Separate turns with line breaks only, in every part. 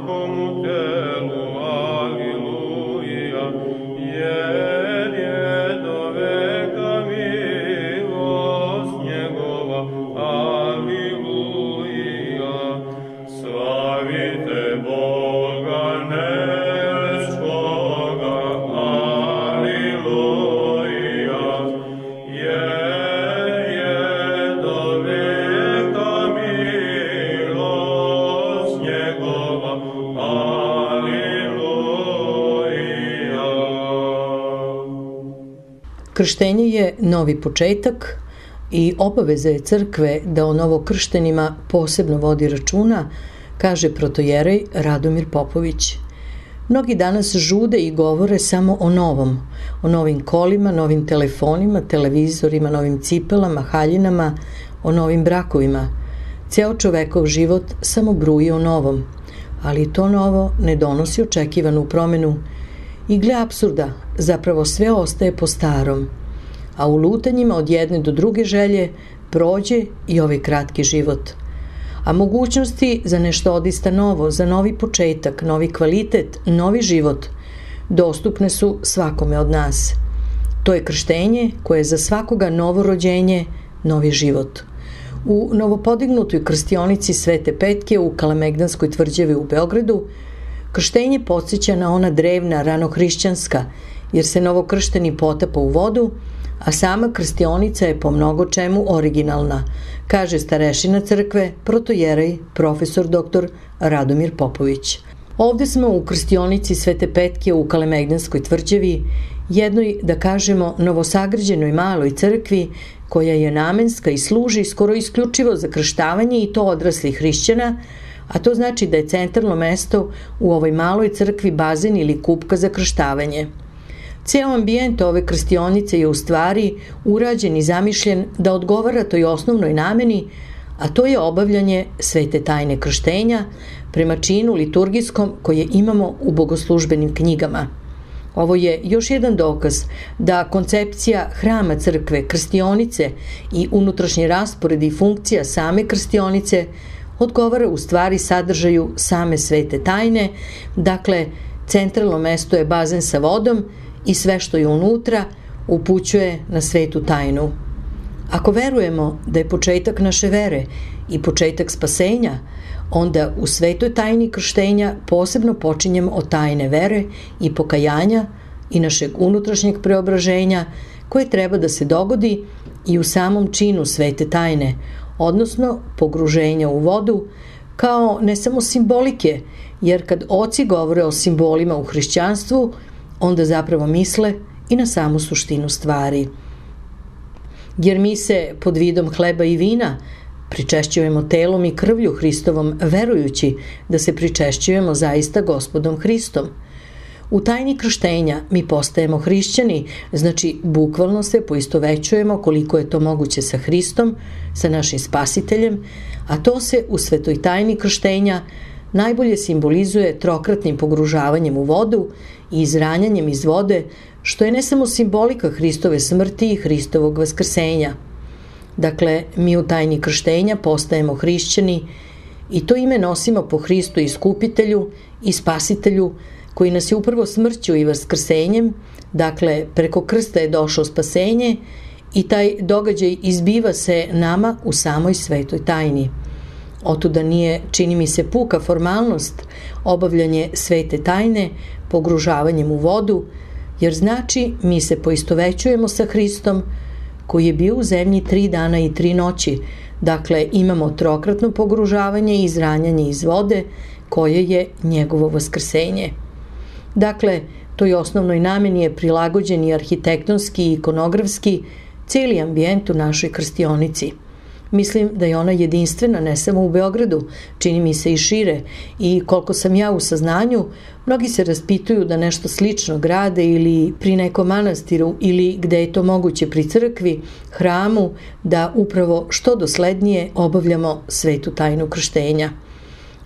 svakomu telu, aliluja, jer je do veka milost njegova, aliluja. Slavite Boga nebeskoga, aliluja, jer je do veka milost njegova, aliluja.
Krštenje je novi početak i obaveza je crkve da o novokrštenima posebno vodi računa, kaže protojerej Radomir Popović. Mnogi danas žude i govore samo o novom, o novim kolima, novim telefonima, televizorima, novim cipelama, haljinama, o novim brakovima. Ceo čovekov život samo bruji o novom, ali to novo ne donosi očekivanu promenu i gle apsurda, zapravo sve ostaje po starom, a u lutanjima od jedne do druge želje prođe i ovaj kratki život. A mogućnosti za nešto odista novo, za novi početak, novi kvalitet, novi život, dostupne su svakome od nas. To je krštenje koje je za svakoga novo rođenje, novi život. U novopodignutoj krstionici Svete Petke u Kalemegdanskoj tvrđavi u Beogradu krštenje podsjeća na ona drevna, ranohrišćanska, jer se novokršteni potapa u vodu, a sama krstionica je po mnogo čemu originalna, kaže starešina crkve, protojerej, profesor dr. Radomir Popović. Ovde smo u krstionici Svete Petke u Kalemegdanskoj tvrđavi, jednoj, da kažemo, novosagrađenoj maloj crkvi, koja je namenska i služi skoro isključivo za krštavanje i to odraslih hrišćana, a to znači da je centralno mesto u ovoj maloj crkvi bazen ili kupka za krštavanje. Ceo ambijent ove krstionice je u stvari urađen i zamišljen da odgovara toj osnovnoj nameni, a to je obavljanje svete tajne krštenja prema činu liturgijskom koje imamo u bogoslužbenim knjigama. Ovo je još jedan dokaz da koncepcija hrama crkve, krstionice i unutrašnji raspored i funkcija same krstionice odgovara u stvari sadržaju same svete tajne, dakle centralno mesto je bazen sa vodom i sve što je unutra upućuje na svetu tajnu. Ako verujemo da je početak naše vere i početak spasenja, onda u svetoj tajni krštenja posebno počinjemo od tajne vere i pokajanja i našeg unutrašnjeg preobraženja koje treba da se dogodi i u samom činu svete tajne, odnosno pogruženja u vodu, kao ne samo simbolike, jer kad oci govore o simbolima u hrišćanstvu, onda zapravo misle i na samu suštinu stvari. Jer mi se pod vidom hleba i vina pričešćujemo telom i krvlju Hristovom, verujući da se pričešćujemo zaista Gospodom Hristom. U tajni krštenja mi postajemo hrišćani, znači bukvalno se poistovećujemo koliko je to moguće sa Hristom, sa našim spasiteljem, a to se u svetoj tajni krštenja najbolje simbolizuje trokratnim pogružavanjem u vodu i izranjanjem iz vode, što je ne samo simbolika Hristove smrti i Hristovog vaskrsenja. Dakle, mi u tajni krštenja postajemo hrišćani i to ime nosimo po Hristu iskupitelju i spasitelju, koji nas je upravo smrću i vaskrsenjem, dakle preko krsta je došlo spasenje i taj događaj izbiva se nama u samoj svetoj tajni. Otuda nije, čini mi se, puka formalnost obavljanje svete tajne pogružavanjem u vodu, jer znači mi se poistovećujemo sa Hristom koji je bio u zemlji 3 dana i 3 noći, dakle imamo trokratno pogružavanje i izranjanje iz vode koje je njegovo vaskrsenje. Dakle, toj osnovnoj nameni je prilagođen i arhitektonski i ikonografski cijeli ambijent u našoj krstionici. Mislim da je ona jedinstvena ne samo u Beogradu, čini mi se i šire, i koliko sam ja u saznanju, mnogi se raspituju da nešto slično grade ili pri nekom manastiru ili gde je to moguće pri crkvi, hramu, da upravo što doslednije obavljamo svetu tajnu krštenja.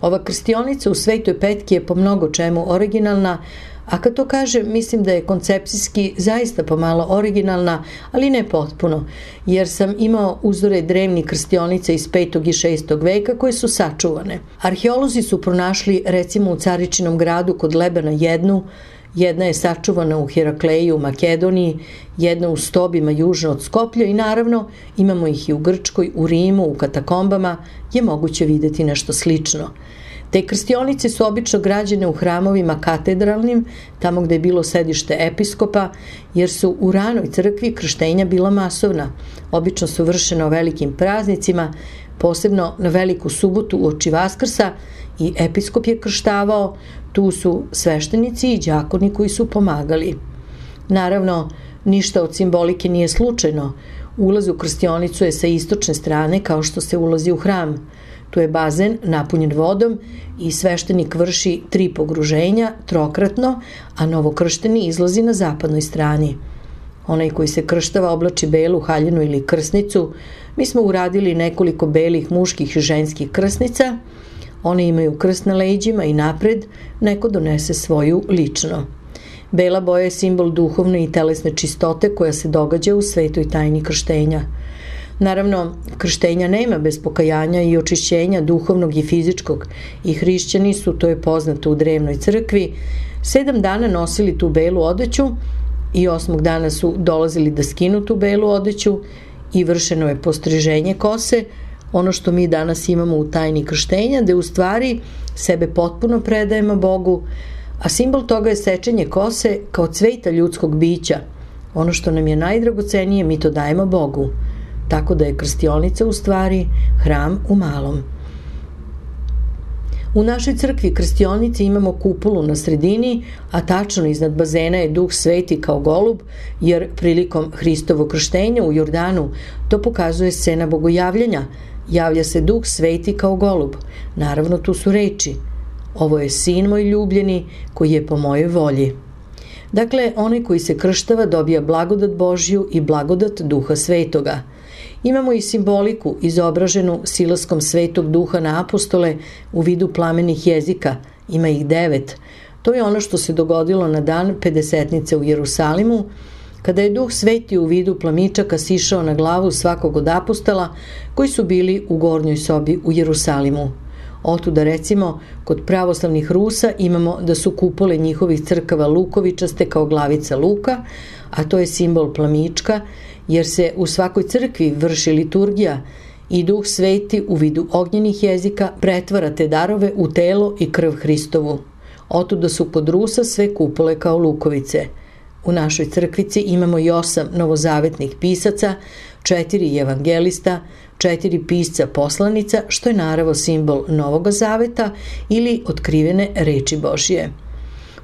Ova krstionica u Svetoj Petki je po mnogo čemu originalna, A kad to kažem, mislim da je koncepcijski zaista pomalo originalna, ali ne potpuno, jer sam imao uzore drevnih krstionica iz 5. i 6. veka koje su sačuvane. Arheolozi su pronašli recimo u Caričinom gradu kod Lebana jedna je sačuvana u Herakleji u Makedoniji, jedna u Stobima južno od Skoplja i naravno imamo ih i u Grčkoj, u Rimu, u katakombama je moguće videti nešto slično. Te krstionice su obično građene u hramovima katedralnim, tamo gde je bilo sedište episkopa, jer su u ranoj crkvi krštenja bila masovna. Obično su vršena o velikim praznicima, posebno na Veliku subotu uoči Vaskrsa, i episkop je krštavao, tu su sveštenici i đakoni koji su pomagali. Naravno, ništa od simbolike nije slučajno. Ulaz u krstionicu je sa istočne strane kao što se ulazi u hram. Tu je bazen napunjen vodom i sveštenik vrši 3 pogruženja trokratno, a novokršteni izlazi na zapadnoj strani. Onaj koji se krštava oblači belu haljinu ili krsnicu. Mi smo uradili nekoliko belih muških i ženskih krsnica. One imaju krst na leđima i napred, neko donese svoju lično. Bela boja je simbol duhovne i telesne čistote koja se događa u svetoj tajni krštenja. Naravno, krštenja nema bez pokajanja i očišćenja duhovnog i fizičkog i hrišćani su, to je poznato u drevnoj crkvi, 7 dana nosili tu belu odeću i 8. dana su dolazili da skinu tu belu odeću i vršeno je postriženje kose, ono što mi danas imamo u tajni krštenja, da u stvari sebe potpuno predajemo Bogu, a simbol toga je sečenje kose kao cveta ljudskog bića. Ono što nam je najdragocenije, mi to dajemo Bogu. Tako da je krstionica u stvari hram u malom. U našoj crkvi krstionice imamo kupolu na sredini, a tačno iznad bazena je Duh Sveti kao golub, jer prilikom Hristovog krštenja u Jordanu to pokazuje scena bogojavljenja. Javlja se Duh Sveti kao golub. Naravno, tu su reči: ovo je sin moj ljubljeni koji je po mojoj volji. Dakle, onaj koji se krštava dobija blagodat Božju i blagodat Duha Svetoga. Imamo i simboliku izobraženu silaskom Svetog Duha na apostole u vidu plamenih jezika. Ima ih 9. To je ono što se dogodilo na dan Pedesetnice u Jerusalimu, kada je Duh Sveti u vidu plamičaka sišao na glavu svakog od apostola koji su bili u gornjoj sobi u Jerusalimu. Otuda recimo, kod pravoslavnih Rusa imamo da su kupole njihovih crkava lukovičaste kao glavica luka, a to je simbol plamička, jer se u svakoj crkvi vrši liturgija i Duh Sveti u vidu ognjenih jezika pretvara te darove u telo i krv Hristovu. Otuda su kod Rusa sve kupole kao lukovice. U našoj crkvici imamo i 8 novozavetnih pisaca, 4 evangelista, 4 pisca poslanica, što je naravno simbol Novog Zaveta ili otkrivene reči Božje.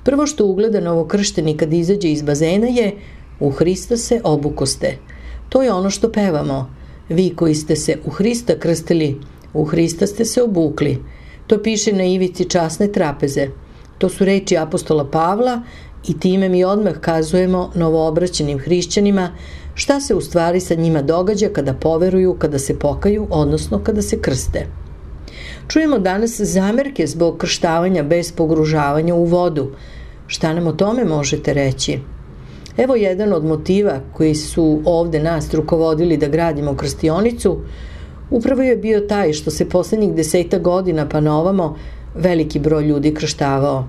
Prvo što ugleda novokršteni kad izađe iz bazena je: u Hrista se obukoste. To je ono što pevamo. Vi koji ste se u Hrista krstili, u Hrista ste se obukli. To piše na ivici časne trapeze. To su reči apostola Pavla i time mi odmah kazujemo novoobraćenim hrišćanima šta se u stvari sa njima događa kada poveruju, kada se pokaju, odnosno kada se krste. Čujemo danas zamerke zbog krštavanja bez pogružavanja u vodu. Šta nam o tome možete reći? Evo jedan od motiva koji su ovde nas rukovodili da gradimo krstionicu, upravo je bio taj što se poslednjih 10 godina pa na ovamo veliki broj ljudi krštavao.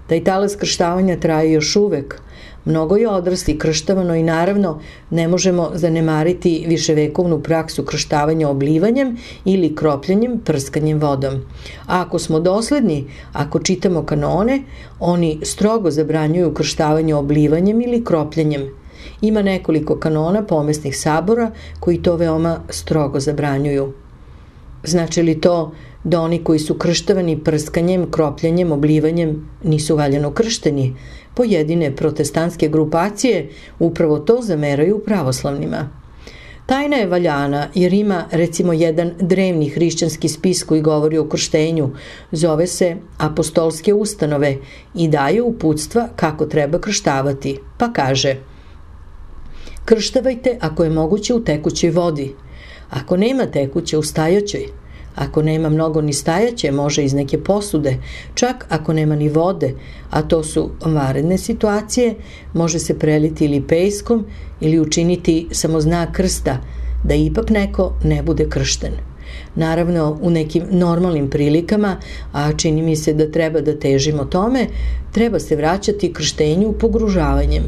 Taj talas krštavanja traje još uvek. Mnogo je odrasli krštavano i naravno ne možemo zanemariti viševekovnu praksu krštavanja oblivanjem ili kropljenjem, prskanjem vodom. A ako smo dosledni, ako čitamo kanone, oni strogo zabranjuju krštavanje oblivanjem ili kropljenjem. Ima nekoliko kanona pomesnih sabora koji to veoma strogo zabranjuju. Znači li to da oni koji su krštavani prskanjem, kropljenjem, oblivanjem nisu valjano kršteni? Pojedine protestantske grupacije upravo to zameraju pravoslavnima. Tajna je valjana jer ima recimo jedan drevni hrišćanski spis koji govori o krštenju, zove se Apostolske ustanove i daje uputstva kako treba krštavati, pa kaže: krštavajte ako je moguće u tekućoj vodi, ako nema tekuće u stajaćoj, Ako nema mnogo ni stajaće, može iz neke posude. Čak ako nema ni vode, a to su vanredne situacije, može se preliti ili pejskom ili učiniti samo znak krsta, da ipak neko ne bude kršten. Naravno, u nekim normalnim prilikama, a čini mi se da treba da težimo tome, treba se vraćati krštenju pogružavanjem.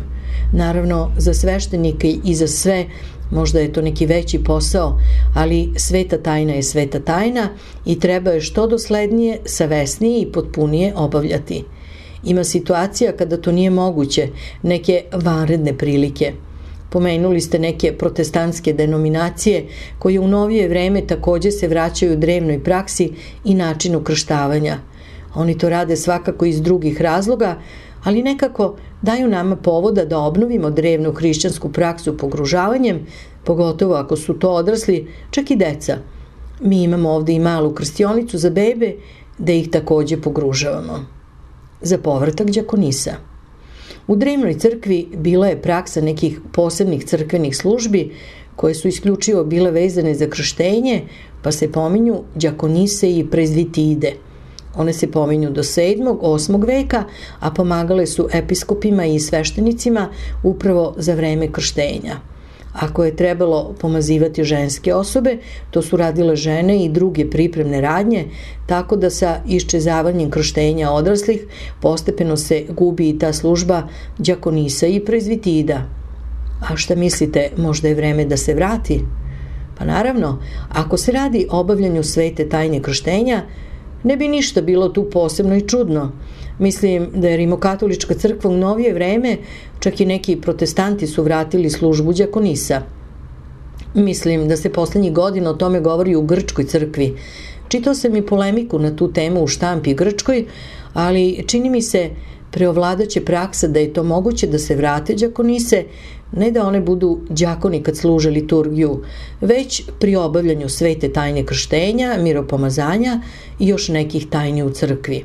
Naravno, za sveštenike i za sve, možda je to neki veći posao, ali sveta tajna je sveta tajna i treba je što doslednije, savesnije i potpunije obavljati. Ima situacija kada to nije moguće, neke vanredne prilike. Pomenuli ste neke protestantske denominacije koje u novije vreme takođe se vraćaju drevnoj praksi i načinu krštavanja. Oni to rade svakako iz drugih razloga, ali nekako daju nama povoda da obnovimo drevnu hrišćansku praksu pogružavanjem, pogotovo ako su to odrasli, čak i deca. Mi imamo ovde i malu krstionicu za bebe, da ih takođe pogružavamo. Za povratak đakonisa. U drevnoj crkvi bila je praksa nekih posebnih crkvenih službi koje su isključivo bile vezane za krštenje, pa se pominju đakonise i prezvitide. One se pominju do 7. 8. veka, a pomagale su episkopima i sveštenicima upravo za vreme krštenja. Ako je trebalo pomazivati ženske osobe, to su radile žene i druge pripremne radnje, tako da sa iščezavanjem krštenja odraslih postepeno se gubi i ta služba đakonisa i prezvitida. A šta mislite, možda je vreme da se vrati? Pa naravno, ako se radi o obavljanju svete tajne krštenja, ne bi ništa bilo tu posebno i čudno. Mislim da je Rimokatolička crkva u novije vreme, čak i neki protestanti su vratili službu đakonisa. Mislim da se poslednjih godina o tome govori u Grčkoj crkvi. Čitao sam i polemiku na tu temu u štampi Grčkoj, ali čini mi se preovladaće praksa da je to moguće da se vrate đakonise, ne da one budu đakoni kad služe liturgiju, već pri obavljanju svete tajne krštenja, miropomazanja i još nekih tajni u crkvi.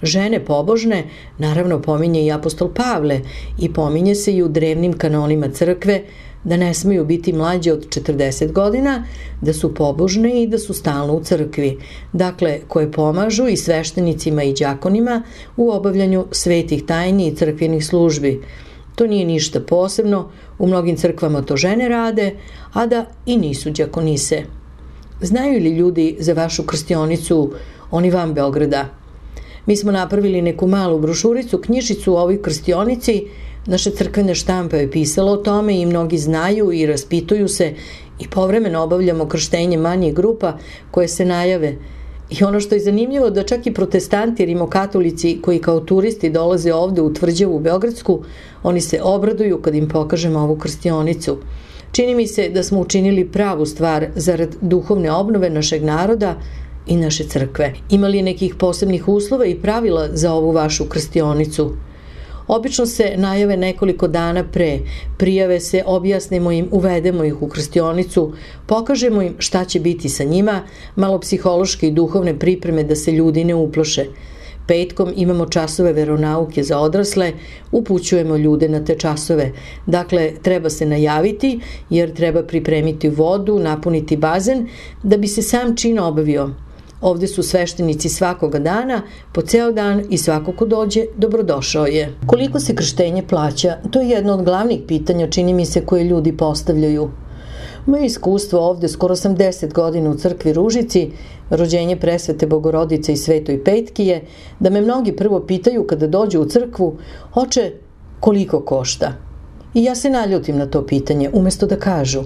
Žene pobožne, naravno pominje i apostol Pavle i pominje se i u drevnim kanonima crkve da ne smeju biti mlađe od 40 godina, da su pobožne i da su stalno u crkvi, dakle koje pomažu i sveštenicima i đakonima u obavljanju svetih tajni i crkvenih službi. To nije ništa posebno, u mnogim crkvama to žene rade, a da i nisu đakonise. Znaju li ljudi za vašu krstionicu, oni van Beograda? Mi smo napravili neku malu brošuricu, knjižicu o ovoj krstionici, naše crkvene štampe je pisalo o tome i mnogi znaju i raspituju se i povremeno obavljamo krštenje manjih grupa koje se najave. I ono što je zanimljivo da čak i protestanti, rimokatolici koji kao turisti dolaze ovde u Tvrđavu u Beogradsku, oni se obraduju kad im pokažemo ovu krstionicu. Čini mi se da smo učinili pravu stvar zarad duhovne obnove našeg naroda i naše crkve. Ima li nekih posebnih uslova i pravila za ovu vašu krstionicu? Obično se najave nekoliko dana pre, prijave se, objasnimo im, uvedemo ih u krstionicu, pokažemo im šta će biti sa njima, malo psihološke i duhovne pripreme da se ljudi ne uploše. Petkom imamo časove veronauke za odrasle, upućujemo ljude na te časove. Dakle, treba se najaviti jer treba pripremiti vodu, napuniti bazen da bi se sam čin obavio. Ovde su sveštenici svakoga dana, po ceo dan i svako ko dođe, dobrodošao je. Koliko se krštenje plaća? To je jedno od glavnih pitanja, čini mi se, koje ljudi postavljaju. Moje iskustvo ovde, skoro sam 10 godina u crkvi Ružici, rođenje presvete Bogorodice i Svetoj Petki je, da me mnogi prvo pitaju kada dođu u crkvu, oče, koliko košta? I ja se naljutim na to pitanje, umesto da kažu,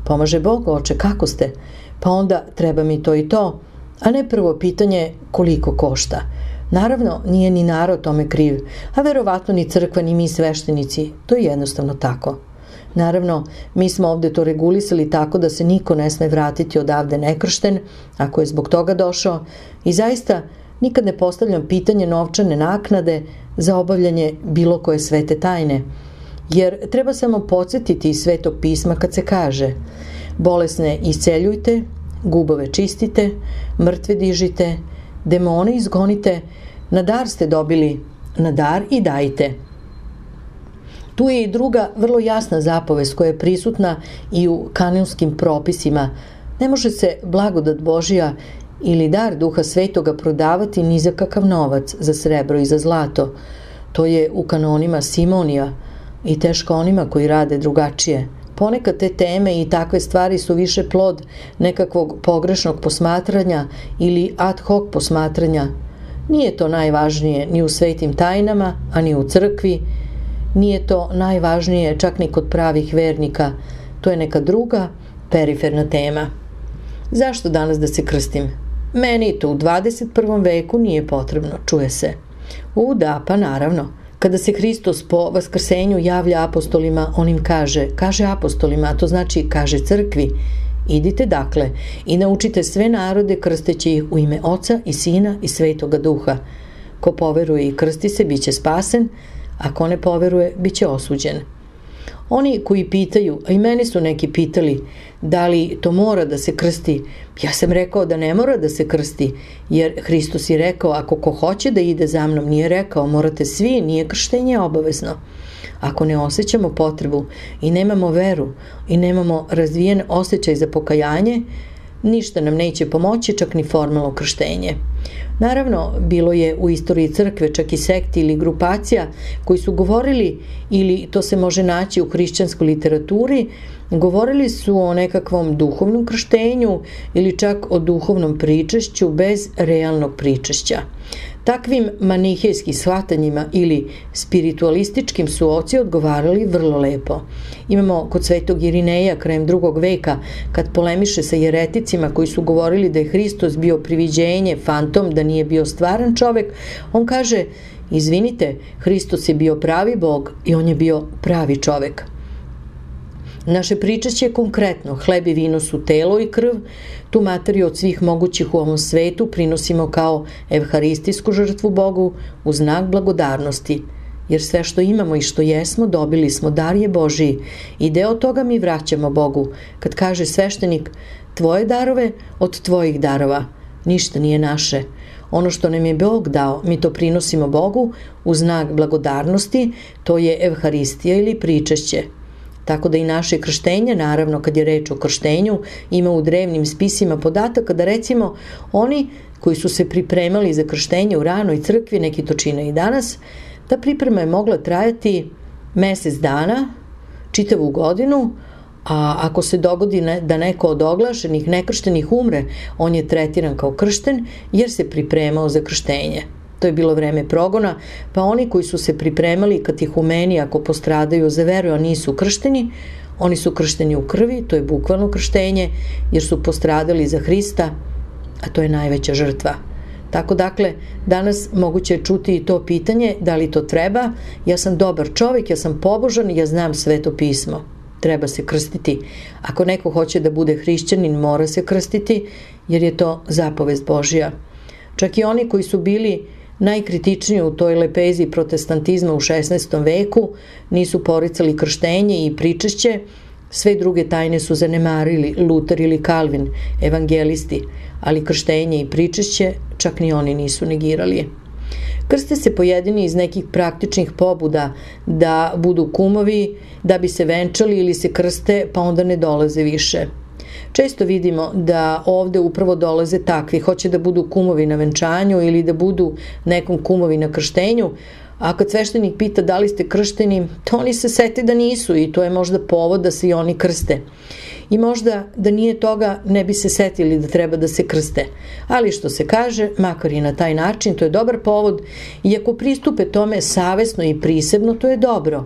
pomaže Bog, oče, kako ste? Pa onda treba mi to i to, a ne prvo pitanje koliko košta. Naravno, nije ni narod tome kriv, a verovatno ni crkva ni mi sveštenici, to je jednostavno tako. Naravno, mi smo ovde to regulisali tako da se niko ne sme vratiti odavde nekršten, ako je zbog toga došao, i zaista nikad ne postavljam pitanje novčane naknade za obavljanje bilo koje svete tajne, jer treba samo podsjetiti iz Svetog pisma kad se kaže: bolesne isceljujte, gubove čistite, mrtve dižite, demone izgonite, na dar ste dobili, na dar i dajte. Tu je i druga vrlo jasna zapovest koja je prisutna i u kanonskim propisima. Ne može se blagodat Božja ili dar Duha Svetoga prodavati ni za kakav novac, za srebro i za zlato. To je u kanonima Simonija i teško onima koji rade drugačije. Ponekad te teme i takve stvari su više plod nekakvog pogrešnog posmatranja ili ad hoc posmatranja. Nije to najvažnije ni u svetim tajnama, a ni u crkvi. Nije to najvažnije čak ni kod pravih vernika. To je neka druga, periferna tema. Zašto danas da se krstim? Meni to u 21. veku nije potrebno, čuje se. Da, pa naravno. Kada se Hristos po vaskrsenju javlja apostolima, on im kaže apostolima, a to znači kaže crkvi, idite dakle i naučite sve narode krsteći ih u ime Oca i Sina i Svetoga Duha. Ko poveruje i krsti se, bit će spasen, a ko ne poveruje, bit će osuđen. Oni koji pitaju, a i meni su neki pitali, da li to mora da se krsti, ja sam rekao da ne mora da se krsti, jer Hristos je rekao, ako ko hoće da ide za mnom, nije rekao, morate svi, nije krštenje obavezno. Ako ne osjećamo potrebu i nemamo veru i nemamo razvijen osjećaj za pokajanje, ništa nam neće pomoći, čak ni formalno krštenje. Naravno, bilo je u istoriji crkve čak i sekti ili grupacija koji su govorili, ili to se može naći u hrišćanskoj literaturi, govorili su o nekakvom duhovnom krštenju ili čak o duhovnom pričešću bez realnog pričešća. Takvim manihejskim shvatanjima ili spiritualističkim su oci odgovarali vrlo lepo. Imamo kod svetog Irineja krajem 2. veka, kad polemiše sa jereticima koji su govorili da je Hristos bio priviđenje, fantom, da nije bio stvaran čovek, on kaže, izvinite, Hristos je bio pravi Bog i on je bio pravi čovek. Naše pričešće je konkretno, hleb i vino su telo i krv, tu materiju od svih mogućih u ovom svetu prinosimo kao evharistijsku žrtvu Bogu u znak blagodarnosti, jer sve što imamo i što jesmo dobili smo, dar je Božiji i deo toga mi vraćamo Bogu. Kad kaže sveštenik, tvoje darove od tvojih darova, ništa nije naše. Ono što nam je Bog dao, mi to prinosimo Bogu u znak blagodarnosti, to je evharistija ili pričešće. Tako da i naše krštenje, naravno kad je reč o krštenju, ima u drevnim spisima podataka da recimo oni koji su se pripremali za krštenje u ranoj crkvi, neki to čine i danas, ta priprema je mogla trajati mesec dana, čitavu godinu, a ako se dogodi da neko od oglašenih nekrštenih umre, on je tretiran kao kršten jer se pripremao za krštenje. To je bilo vreme progona, pa oni koji su se pripremali katihumeni ako postradaju za veru, a nisu kršteni, oni su kršteni u krvi, to je bukvalno krštenje, jer su postradali za Hrista, a to je najveća žrtva. Tako dakle, danas moguće je čuti i to pitanje, da li to treba, ja sam dobar čovjek, ja sam pobožan, ja znam Sveto pismo. Treba se krstiti. Ako neko hoće da bude hrišćanin, mora se krstiti, jer je to zapovest Božja. Čak i oni koji su bili najkritičniji u toj lepezi protestantizma u 16. veku, nisu poricali krštenje i pričešće, sve druge tajne su zanemarili, Luter ili Kalvin, evangelisti, ali krštenje i pričešće čak ni oni nisu negirali. Krste se pojedini iz nekih praktičnih pobuda da budu kumovi, da bi se venčali ili se krste pa onda ne dolaze više. Često vidimo da ovde upravo dolaze takvi, hoće da budu kumovi na venčanju ili da budu nekom kumovi na krštenju, a kad sveštenik pita da li ste kršteni, to oni se sete da nisu i to je možda povod da se i oni krste. I možda da nije toga ne bi se setili da treba da se krste. Ali što se kaže, makar i na taj način, to je dobar povod i ako pristupe tome savesno i prisebno, to je dobro.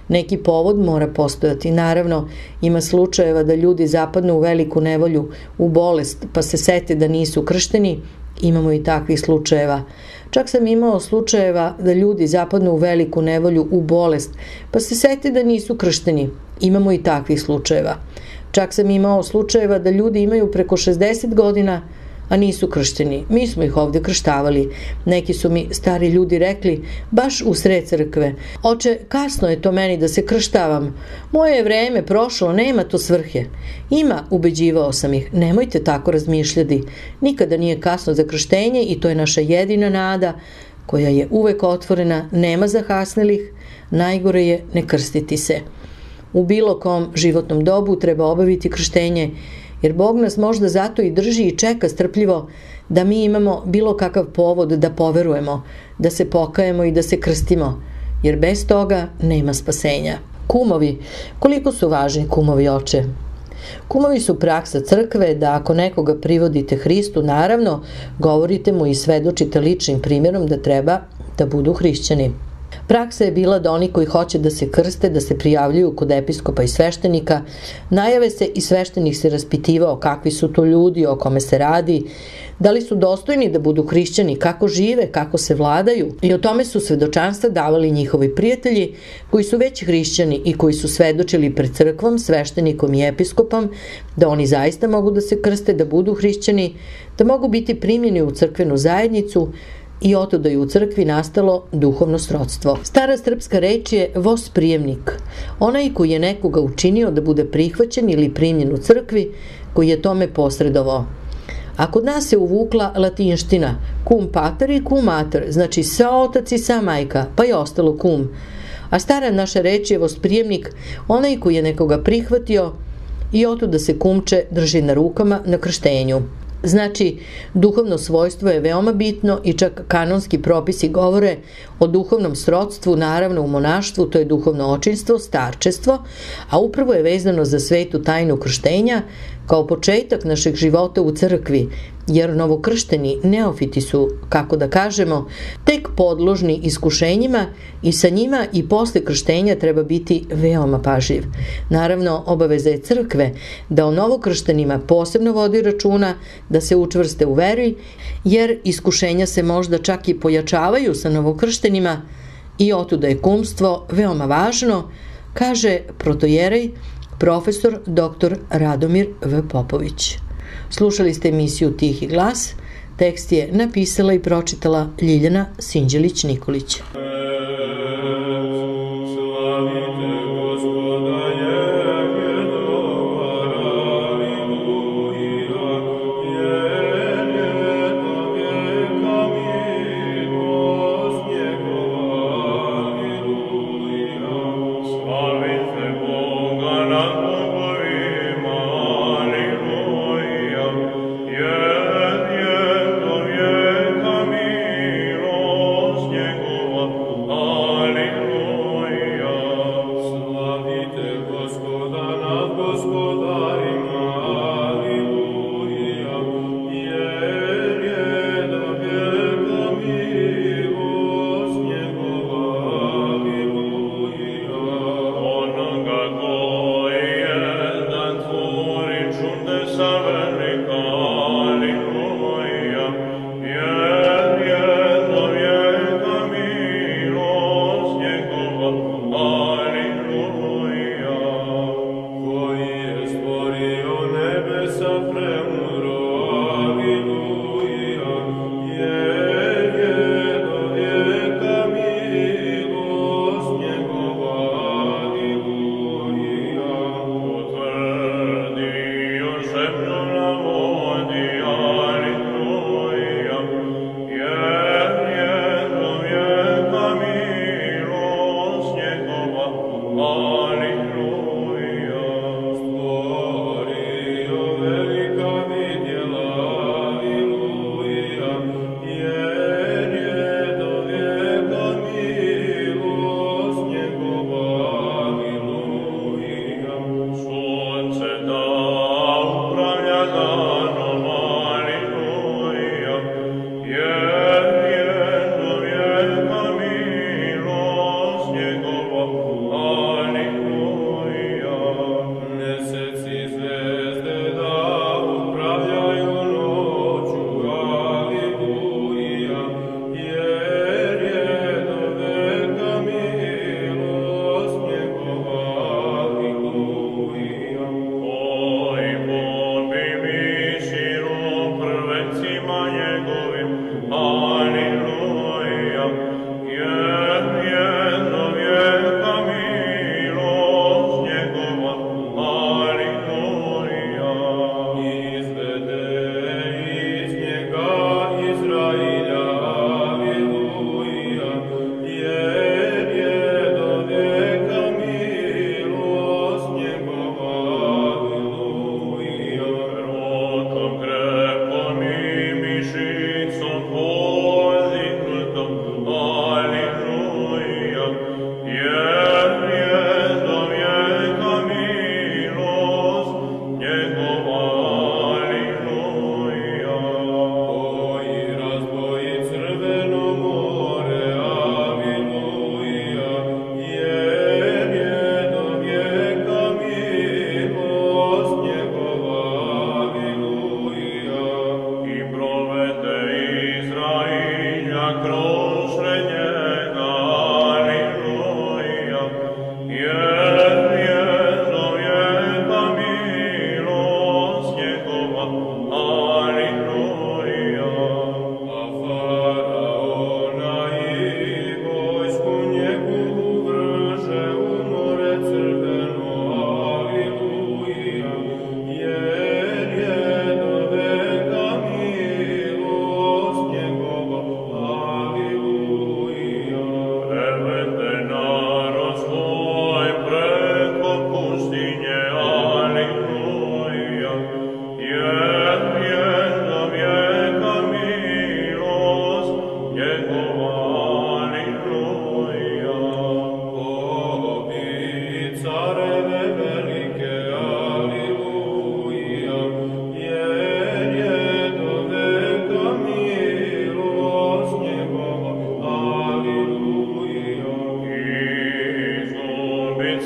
Neki povod mora postojati. Naravno, ima slučajeva da ljudi zapadnu u veliku nevolju, u bolest, pa se sete da nisu kršteni. Imamo i takvih slučajeva. Čak sam imao slučajeva da ljudi zapadnu u veliku nevolju, u bolest, pa se sete da nisu kršteni. Imamo i takvih slučajeva. Čak sam imao slučajeva da ljudi imaju preko 60 godina, a nisu kršteni. Mi smo ih ovde krštavali. Neki su mi stari ljudi rekli, baš u sred crkve, oče, kasno je to meni da se krštavam. Moje je vreme prošlo, nema to svrhe. Ima, ubeđivao sam ih, nemojte tako razmišljati. Nikada nije kasno za krštenje i to je naša jedina nada, koja je uvek otvorena, nema zahasnelih, najgore je ne krstiti se. U bilo kom životnom dobu treba obaviti krštenje, jer Bog nas možda zato i drži i čeka strpljivo da mi imamo bilo kakav povod da poverujemo, da se pokajemo i da se krstimo, jer bez toga nema spasenja. Kumovi, koliko su važni kumovi, oče? Kumovi su praksa crkve da ako nekoga privodite Hristu, naravno, govorite mu i svedočite ličnim primjerom da treba da budu hrišćani. Praksa je bila da oni koji hoće da se krste, da se prijavljuju kod episkopa i sveštenika, najave se i sveštenik se raspitivao kakvi su to ljudi, o kome se radi, da li su dostojni da budu hrišćani, kako žive, kako se vladaju, i o tome su svedočanstva davali njihovi prijatelji koji su već hrišćani i koji su svedočili pred crkvom, sveštenikom i episkopom da oni zaista mogu da se krste, da budu hrišćani, da mogu biti primljeni u crkvenu zajednicu, i oto da je u crkvi nastalo duhovno srodstvo. Stara srpska reč je vosprijemnik, onaj koji je nekoga učinio da bude prihvaćen ili primljen u crkvi, koji je tome posredovao. A kod nas se uvukla latinština cum pater i cum mater, znači sa otac i sa majka, pa je ostalo cum. A stara naša reč je vosprijemnik, onaj koji je nekoga prihvatio i oto da se kumče drži na rukama na krštenju. Znači, duhovno svojstvo je veoma bitno i čak kanonski propisi govore o duhovnom srodstvu, naravno u monaštvu, to je duhovno očinstvo, starčestvo, a upravo je vezano za svetu tajnu krštenja kao početak našeg života u crkvi, jer novokršteni neofiti su, kako da kažemo, tek podložni iskušenjima i sa njima i posle krštenja treba biti veoma pažljiv. Naravno, obaveza je crkve da o novokrštenima posebno vodi računa, da se učvrste u veri, jer iskušenja se možda čak i pojačavaju sa novokrštenima i otuda je kumstvo veoma važno, kaže protojerej profesor dr. Radomir V. Popović. Slušali ste emisiju Tihi glas, tekst je napisala i pročitala Ljiljana Sinđelić-Nikolić.
Alleluja.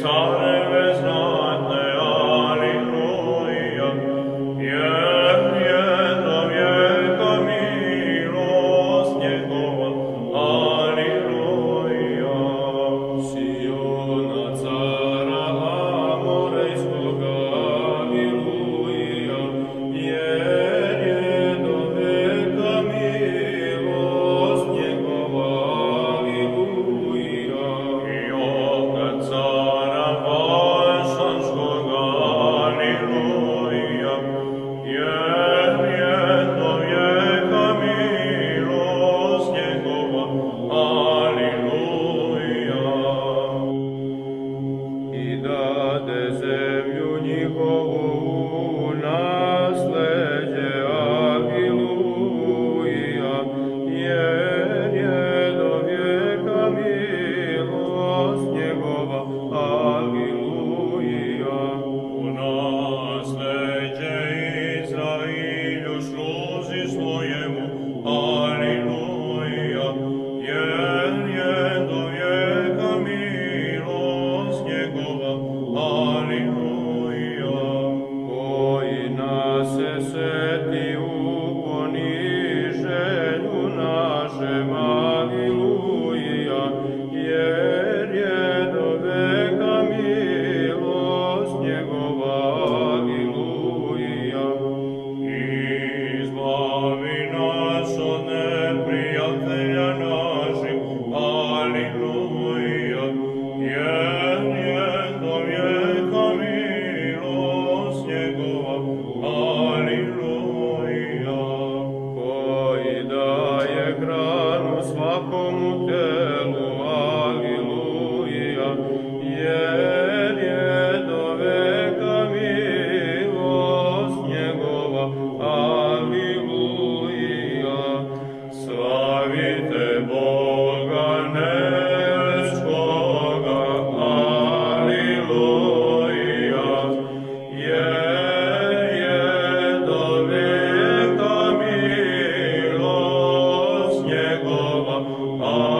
careve znatne, aleluja, jer je do vijeka milost njegova, aleluja. Siona cara amorejskoga, aleluja, jer je do vijeka milost njegova, aleluja. I oka cara Balšanskoga, aleluja, jer je do vijeka milost njegova, aleluja. I dade zemlju njihovu u nasleđe, aleluja, jer je do vijeka milost njegova, aleluja. U nasleđe Izrailju sluzi svojemu, aleluja, jer je do vijeka milost njegova, aleluja. Koji nas se seti u poniženju našem, aleluja, jer je do vijeka milost njegova, aleluja. Izbavi nas od neprijatelja naših, aleluja, jer je do vijeka milost njegova, aleluja. Koji daje hranu svakomu telu, aleluja, jer je do vijeka milost njegova, aleluja. Slavite Boga nebeskoga, aleluja, jer je do vijeka milost njegova, aleluja.